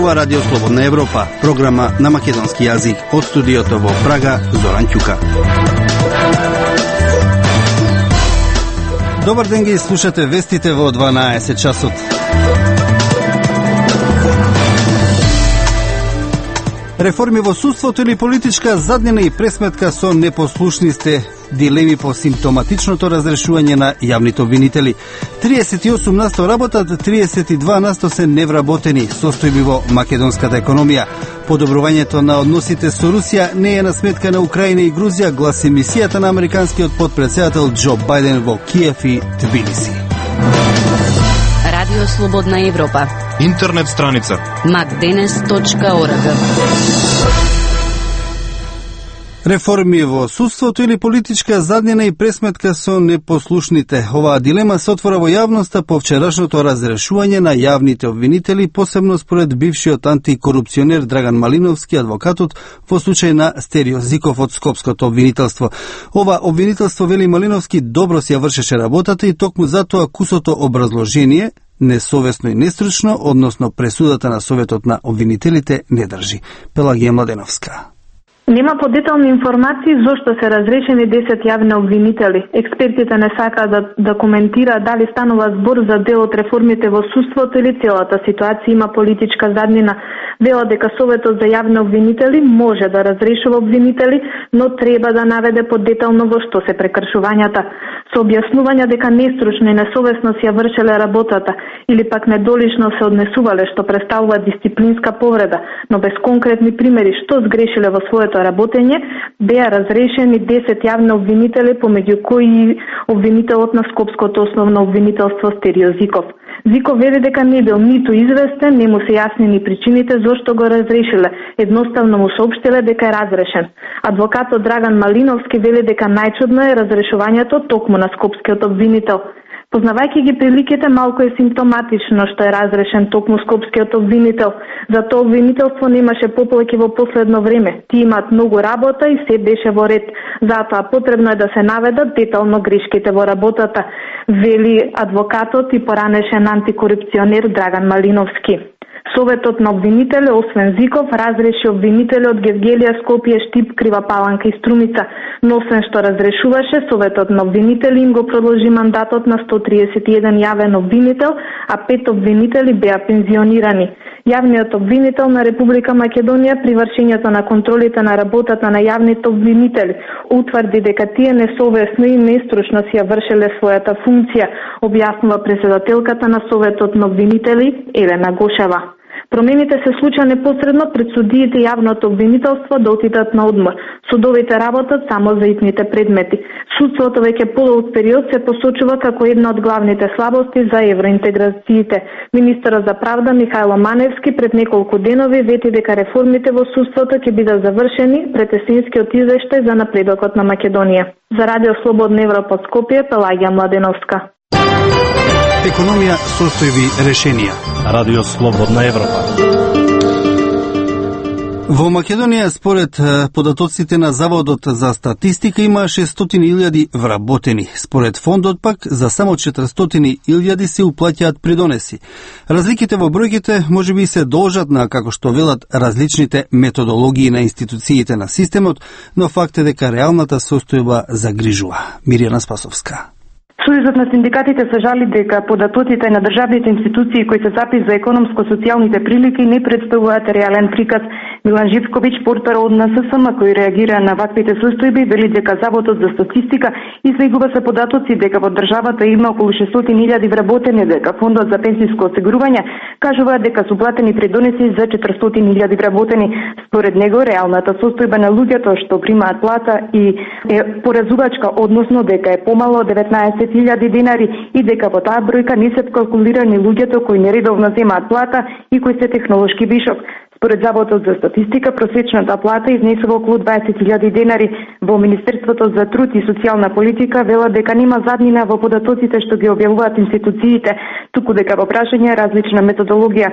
зборува Радио Слободна Европа, програма на македонски јазик. Од студиото во Прага, Зоран Ќука. Добар ден, ги слушате вестите во 12 часот. Реформи во судството или политичка заднина и пресметка со непослушни сте, дилеми по симптоматичното разрешување на јавните обвинители. 38% работат, 32% се невработени, состојби во македонската економија. Подобрувањето на односите со Русија не е на сметка на Украина и Грузија, гласи мисијата на американскиот потпредседател Џо Бајден во Киев и Тбилиси. Радио Слободна Европа. Интернет страница macdenes.org. Реформи во судството или политичка заднина и пресметка со непослушните. Оваа дилема се отвора во јавноста по вчерашното разрешување на јавните обвинители, посебно според бившиот антикорупционер Драган Малиновски, адвокатот во случај на Стерио Зиков од Скопското обвинителство. Ова обвинителство, вели Малиновски, добро си ја вршеше работата и токму затоа кусото образложение несовесно и нестручно, односно пресудата на Советот на обвинителите, не држи. Пелагија Младеновска. Нема подетални информации зошто се разрешени 10 јавни обвинители. Експертите не сакаат да коментираат дали станува збор за дел од реформите во судството или целата ситуација има политичка заднина. Велат дека Советот за јавни обвинители може да разрешува обвинители, но треба да наведе подетално во што се прекршувањата. Со објаснување дека нестручно и несовесно си ја вршеле работата или пак недолично се однесувале, што представува дисциплинска повреда, но без конкретни примери што сгрешиле во своето работење, беа разрешени 10 јавни обвинители, помеѓу кои обвинителот на Скопското основно обвинителство Стерио Зиков. Зиков вели дека не бил ниту известен, не му се јасни ни причините зошто го разрешиле. Едноставно му соопштиле дека е разрешен. Адвокатот Драган Малиновски вели дека најчудно е разрешувањето токму на Скопскиот обвинител. Познавајќи ги приликите, малку е симптоматично што е разрешен токму Скопскиот обвинител. Затоа обвинителство немаше поплаки во последно време. Ти имаат многу работа и се беше во ред. Затоа потребно е да се наведат детално грешките во работата, вели адвокатот и поранешен антикорупционер Драган Малиновски. Советот на обвинители, освен Зиков, разреши обвинители од Гевгелија, Скопје, Штип, Крива Паланка и Струмица, но освен што разрешуваше, Советот на обвинители им го продолжи мандатот на 131 јавен обвинител, а 5 обвинители беа пензионирани. Јавниот обвинител на Република Македонија при вршењето на контролите на работата на јавните обвинители утврди дека тие несовесно и нестручно си ја вршеле својата функција, објаснува председателката на Советот на обвинители Елена Гошева. Промените се случаа непосредно пред судиите и јавното обвинителство да отидат на одмор. Судовите работат само за итните предмети. Судството веќе подолг период се посочува како една од главните слабости за евроинтеграциите. Министерот за правда Михајло Маневски пред неколку денови вети дека реформите во судството ќе бидат завршени пред есенскиот извештај за напредокот на Македонија. За Радио Слободна Европа Скопје, Пелагија Младеновска. Економија, состојби, решенија. Радио Слободна Европа. Во Македонија, според податоците на Заводот за статистика, има 600.000 вработени. Според фондот пак, за само 400.000 се уплаќаат придонеси. Разликите во бројките можеби се должат на, како што велат, различните методологии на институциите на системот, но факт е дека реалната состојба загрижува. Миријана Спасовска. Сојузот на синдикатите се жали дека податоците на државните институции кои се запис за економско-социјалните прилики не представуваат реален приказ. Милан Живковиќ, портпарол од НССМ, кој реагира на ваквите состојби, вели дека Заводот за статистика излегува се податоци дека во државата има околу 600.000 вработени, дека Фондот за пензиско осигурување кажува дека се уплатени придонеси за 400.000 вработени. Според него, реалната состојба на луѓето што примаат плата и е поразувачка, односно дека е помало од 19.000 денари и дека во таа бројка не се калкулирани луѓето кои нередовно земаат плата и кои се технолошки вишок. Според Заводот за статистика, просечната плата изнесува околу 20.000 денари. Во Министерството за труд и социјална политика велат дека нема заднина во податоците што ги објавуваат институциите, туку дека во прашање различна методологија.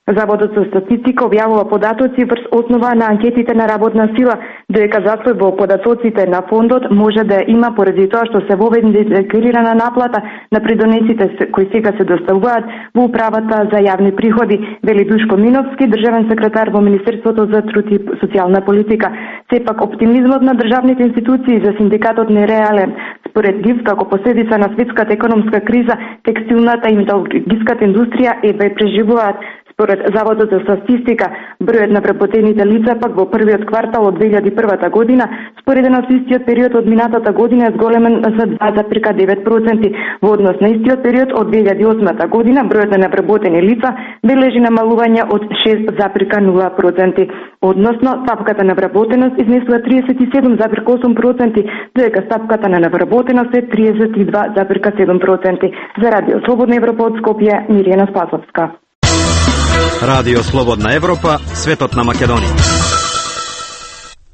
Заводот за статистика објавува податоци врз основа на анкетите на работна сила, додека застој во податоците на фондот може да има поради тоа што се воведе декларирана наплата на придонесите кои сега се доставуваат во управата за јавни приходи, вели Душко Миновски, државен секретар во Министерството за труд и социјална политика. Сепак оптимизмот на државните институции за синдикатот не е реален. Според ГИВ, како последица на светската економска криза, текстилната и металургиската индустрија едва преживуваат. Според Заводот за статистика, бројот на вработените лица пак во првиот квартал од 2001 година, споредено со истиот период од минатата година, е зголемен за 2,9%. Во однос на истиот период од 2008 година, бројот на невработени лица бележи намалување од 6,0%. Односно, стапката на вработеност изнесува 37,8%, додека стапката на невработеност е 32,7%. За Радио Слободна Европа од Скопје, Миријана Спасовска. Радио Слободна Европа, светот на Македонија.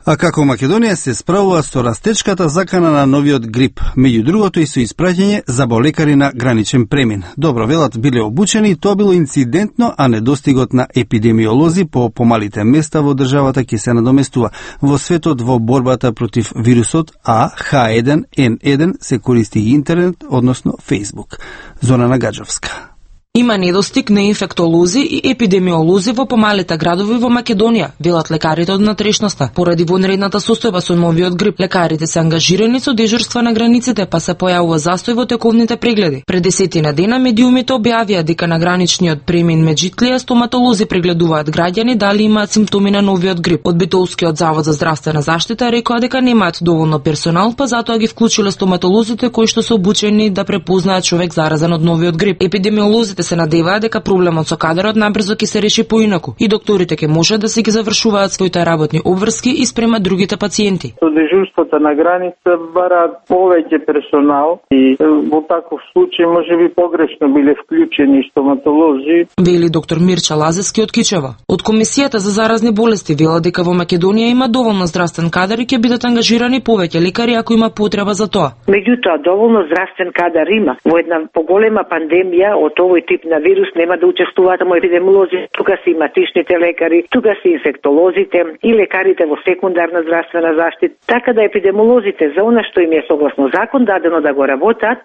А како Македонија се справува со растечката закана на новиот грип, меѓу другото и со испраќање за болекари на граничен премин. Добро, велат биле обучени, тоа било инцидентно, а недостигот на епидемиолози по помалите места во државата ќе се надоместува. Во светот во борбата против вирусот H1N1 се користи интернет, односно Facebook. Зона Нагаджовска. Има недостиг на инфектолози и епидемиолози во помалите градови во Македонија, велат лекарите од натрешноста. Поради вонредната состојба со новиот грип, лекарите се ангажирани со дежурства на границите, па се појавува застој во тековните прегледи. Пред 10 дена медиумите објавија дека на граничниот премин Меджитлија стоматолози прегледуваат граѓани дали имаат симптоми на новиот грип. Од Битолскиот завод за здравствена заштита рекоа дека немаат доволно персонал, па затоа ги вклучиле стоматолозите кои што се обучени да препознаат човек заразен од новиот грип. Епидемиолозите се надеваат дека проблемот со кадрот набрзо ќе се реши поинаку и докторите ќе можат да си ги завршуваат своите работни обврски и спрема другите пациенти. Со дежурството на граница бараат повеќе персонал и во таков случај можеби погрешно биле вклучени стоматолози. Вели доктор Мирча Лазевски од Кичева. Од Комисијата за заразни болести вела дека во Македонија има доволно здравствен кадар и ќе бидат ангажирани повеќе лекари ако има потреба за тоа. Меѓутоа, доволно здравствен кадар има. Во една поголема пандемија од овој тип на вирус нема да учествуваат само епидемиолози, тука се иматичните лекари, тука се инфектолозите и лекарите во секундарна здравствена заштита. Така да епидемиолозите за она што им е согласно закон дадено да го работат,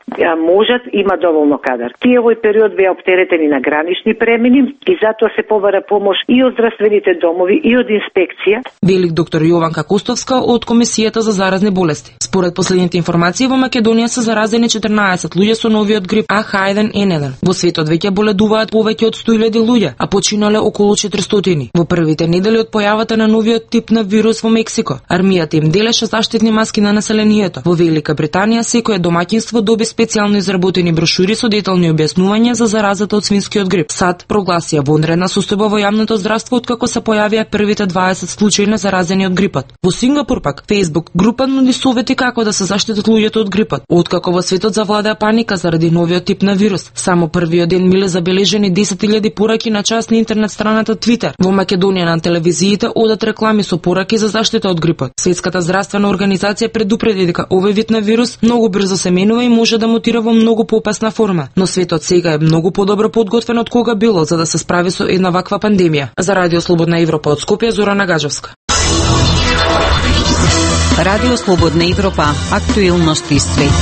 можат, има доволно кадар. Тие овој период беа оптеретени на гранични премини и затоа се побара помош и од здравствените домови и од инспекција. Велик доктор Јованка Костовска од Комисијата за заразни болести. Според последните информации во Македонија се заразени 14 луѓе со новиот грип H1N1. Во светот веќе боледуваат повеќе од 100.000 луѓе, а починале околу 400. Во првите недели од појавата на новиот тип на вирус во Мексико, армијата им делеше заштитни маски на населението. Во Велика Британија секое домаќинство доби специјално изработени брошури со детални објаснувања за заразата од свинскиот грип. САД прогласија вонредна состојба во јавното здравство откако се појавија првите 20 случаи на заразени од грипот. Во Сингапур пак Facebook група нуди совети како да се заштитат луѓето од грипот. Откако во светот завладеа паника заради новиот тип на вирус, само првиот ден биле забележени 10.000 пораки на час на интернет страната Twitter. Во Македонија на телевизиите одат реклами со пораки за заштита од грипот. Светската здравствена организација предупреди дека овој вид на вирус многу брзо се менува и може да мутира во многу поопасна форма. Но светот сега е многу подобро подготвен од кога било за да се справи со една ваква пандемија. За Радио Слободна Европа од Скопје, Зора Нагаджовска. Радио Слободна Европа, актуелности свет.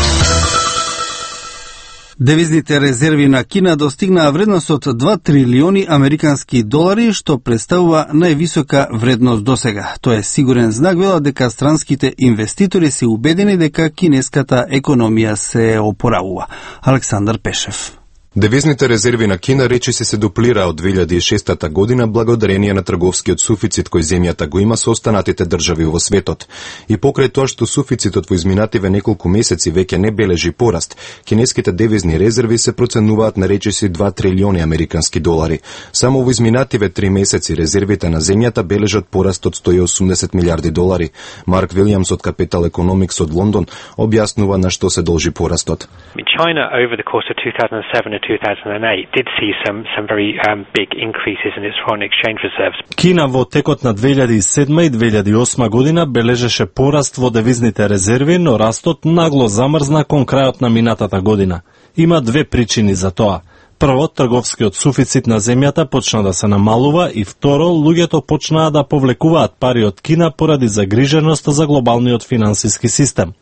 Девизните резерви на Кина достигнаа вредност од 2 трилиони американски долари, што представува највисока вредност досега. Тоа е сигурен знак, велат дека странските инвеститори се убедени дека кинеската економија се опоравува. Александар Пешев. Девизните резерви на Кина речиси се дуплира од 2006 година благодарение на трговскиот суфицит кој земјата го има со останатите држави во светот. И покрај тоа што суфицитот во изминативе неколку месеци веќе не бележи пораст, кинеските девизни резерви се проценуваат на речиси 2 трилиони американски долари. Само во изминативе 3 месеци резервите на земјата бележат пораст од 180 милиарди долари. Марк Вилијамс од Capital Economics од Лондон објаснува на што се должи порастот. China over the course of 2007 and 2008 did see some very big increases in its foreign exchange reserves. Кина во текот на 2007 и 2008 година бележеше пораст во девизните резерви, но растот нагло замрзна кон крајот на минатата година. Има две причини за тоа. Прво, трговскиот суфицит на земјата почна да се намалува и второ, луѓето почнаа да повлекуваат пари од Кина поради загриженост за глобалниот финансиски систем.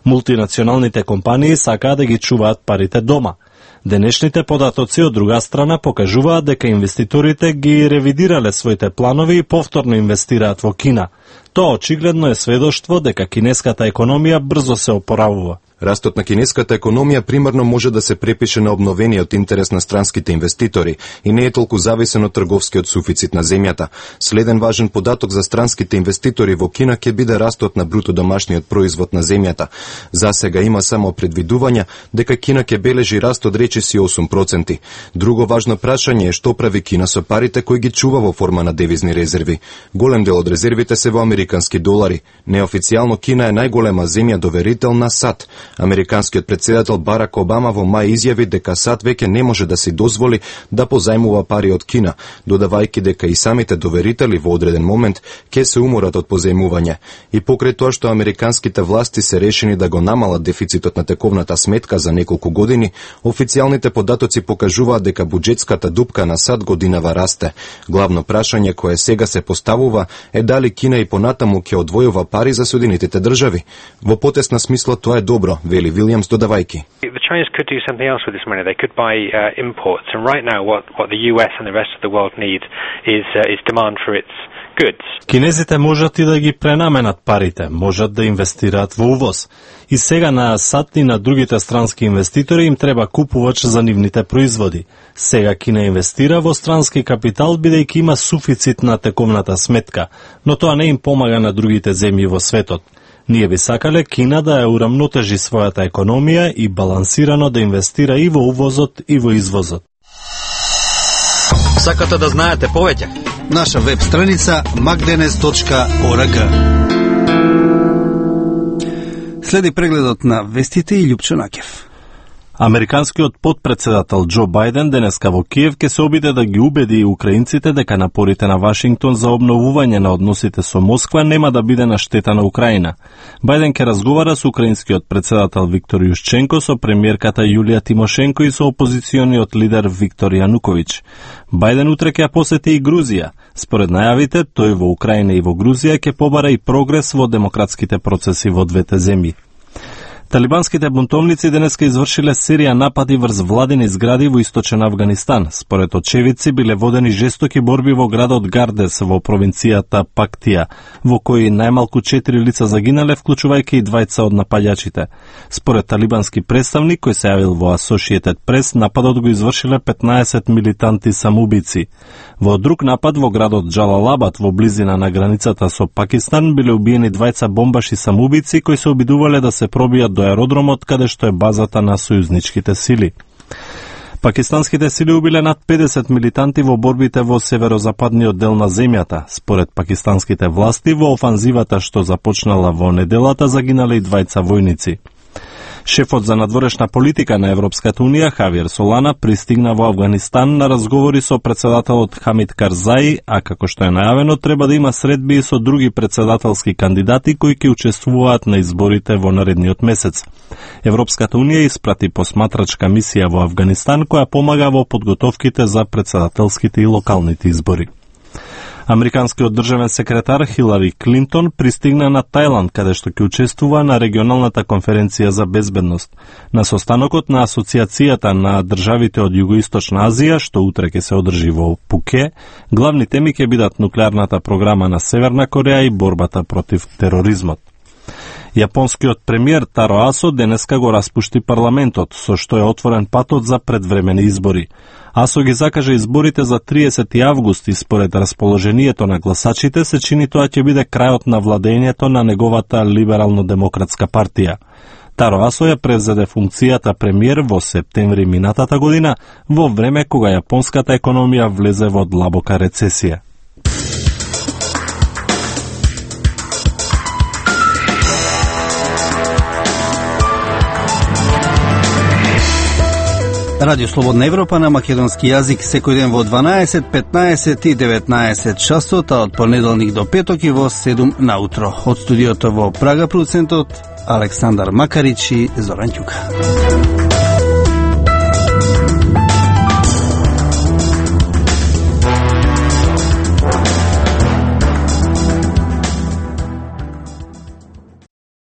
Мултинационалните компании сакаа да ги чуваат парите дома. Денешните податоци од друга страна покажуваат дека инвеститорите ги ревидирале своите планови и повторно инвестираат во Кина. Тоа очигледно е сведоштво дека кинеската економија брзо се опоравува. Растот на кинеската економија примарно може да се препише на обновениот интерес на странските инвеститори и не е толку зависен од трговскиот суфицит на земјата. Следен важен податок за странските инвеститори во Кина ќе биде растот на бруто домашниот производ на земјата. За сега има само предвидувања дека Кина ќе бележи раст од речиси 8%. Друго важно прашање е што прави Кина со парите кои ги чува во форма на девизни резерви. Голем дел од резервите се во американски долари. Неофицијално Кина е најголема земја доверител на САД. Американскиот председател Барак Обама во мај изјави дека САД веќе не може да си дозволи да позајмува пари од Кина, додавајќи дека и самите доверители во одреден момент ќе се уморат од позајмување. И покрај тоа што американските власти се решени да го намалат дефицитот на тековната сметка за неколку години, официјалните податоци покажуваат дека буџетската дупка на САД годинава расте. Главно прашање кое сега се поставува е дали Кина и понатаму ќе одвојува пари за Соединетите држави. Во потесна смисла тоа е добро, вели Вилјамс додавајки. The Chinese could do something else with this money. They could buy imports, and right now what the US and the rest of the world need is demand for its goods. Кинезите можат и да ги пренаменат парите, можат да инвестираат во увоз. И сега на САД и на другите странски инвеститори им треба купувач за нивните производи. Сега Кина инвестира во странски капитал бидејќи има суфицит на тековната сметка, но тоа не им помага на другите земји во светот. Ние би сакале Кина да ја урамнотежи својата економија и балансирано да инвестира и во увозот и во извозот. Сакате да знаете повеќе? Наша веб страница magdenes.org. Следи прегледот на вестите и Љупчо Накев. Американскиот подпредседател Џо Бајден денеска во Киев ќе се обиде да ги убеди украинците дека напорите на Вашингтон за обновување на односите со Москва нема да биде на штета на Украина. Бајден ќе разговара со украинскиот председател Виктор Јушченко, со премиерката Јулија Тимошенко и со опозициониот лидер Виктор Јануковиќ. Бајден утре ќе посети и Грузија. Според најавите, тој во Украина и во Грузија ќе побара и прогрес во демократските процеси во двете земји. Талибанските бунтовници денеска извршиле серија напади врз владени згради во источен Авганистан. Според очевидци биле водени жестоки борби во градот Гардес во провинцијата Пактија, во кои најмалку 4 лица загинале, вклучувајќи и двајца од нападјачите. Според талибански представник кој се јавил во Associated Press, нападот го извршиле 15 милитанти самоубици. Во друг напад во градот Џалалабад во близина на границата со Пакистан биле убиени двајца бомбаши самоубици кои се обидувале да се пробијат до аеродромот каде што е базата на сојузничките сили. Пакистанските сили убиле над 50 милитанти во борбите во северозападниот дел на земјата. Според пакистанските власти, во офанзивата што започнала во неделата загинале и двајца војници. Шефот за надворешна политика на Европската Унија, Хавиер Солана, пристигна во Авганистан на разговори со председателот Хамид Карзаи, а како што е најавено, треба да има средби и со други председателски кандидати кои ќе учествуваат на изборите во наредниот месец. Европската Унија испрати посматрачка мисија во Авганистан која помага во подготовките за председателските и локалните избори. Американскиот државен секретар Хилари Клинтон пристигна на Тајланд, каде што ќе учествува на регионалната конференција за безбедност. На состанокот на Асоциацијата на државите од Југоисточна Азија, што утре ќе се одржи во Пуке, главни теми ќе бидат нуклеарната програма на Северна Кореја и борбата против тероризмот. Јапонскиот премиер Таро Асо денеска го распушти парламентот, со што е отворен патот за предвремени избори. Асо ги закажа изборите за 30 август и според расположението на гласачите се чини тоа ќе биде крајот на владењето на неговата либерално-демократска партија. Таро Асо ја превзеде функцијата премиер во септември минатата година, во време кога јапонската економија влезе во длабока рецесија. Радио Слободна Европа на македонски јазик секој ден во 12, 15 и 19 часот, а од понеделник до петок и во 7 наутро. Од студиото во Прага продуцентот Александар Макарич и Зоран Ќука.